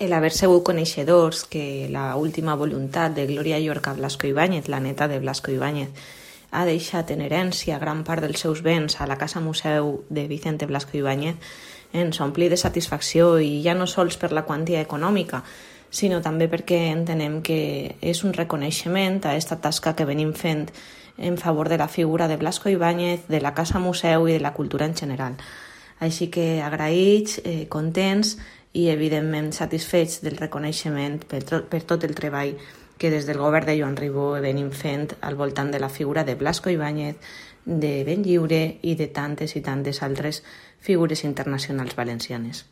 el haver sigut coneixedors que la última voluntat de Gloria Llorca Blasco Ibáñez, la neta de Blasco Ibáñez, ha deixat en herència gran part dels seus béns a la Casa Museu de Vicente Blasco Ibáñez, ens ompli de satisfacció, i ja no sols per la quantia econòmica, sinó també perquè entenem que és un reconeixement a aquesta tasca que venim fent en favor de la figura de Blasco Ibáñez, de la Casa Museu i de la cultura en general. Així que agraïts, contents i evidentment satisfets del reconeixement per tot el treball que des del govern de Joan Ribó venim fent al voltant de la figura de Blasco Ibáñez, de Benlliure i de tantes i tantes altres figures internacionals valencianes.